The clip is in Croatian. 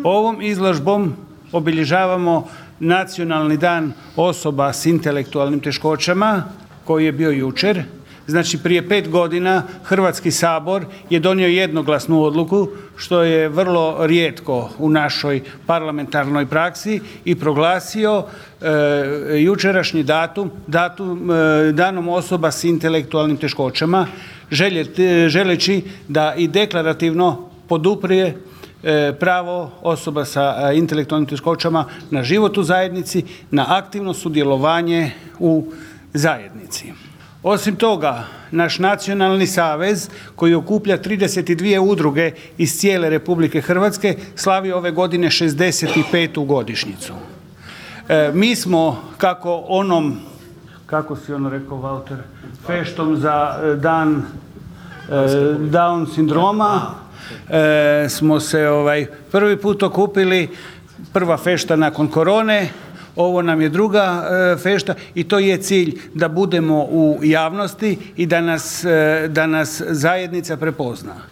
Ovom izložbom obilježavamo Nacionalni dan osoba s intelektualnim teškoćama koji je bio jučer. Znači prije 5 godina Hrvatski sabor je donio jednoglasnu odluku, što je vrlo rijetko u našoj parlamentarnoj praksi, i proglasio jučerašnji datum danom osoba s intelektualnim teškoćama, želeći da i deklarativno poduprije pravo osoba sa intelektualnim teškoćama na život u zajednici, na aktivno sudjelovanje u zajednici. Osim toga, naš nacionalni savez koji okuplja 32 udruge iz cijele Republike Hrvatske slavi ove godine 65. godišnjicu. Mi smo, kako si ono rekao Walter, feštom za dan Down sindroma, smo se prvi put okupili, prva fešta nakon korone. Ovo nam je druga fešta i to je cilj da budemo u javnosti i da nas zajednica prepozna.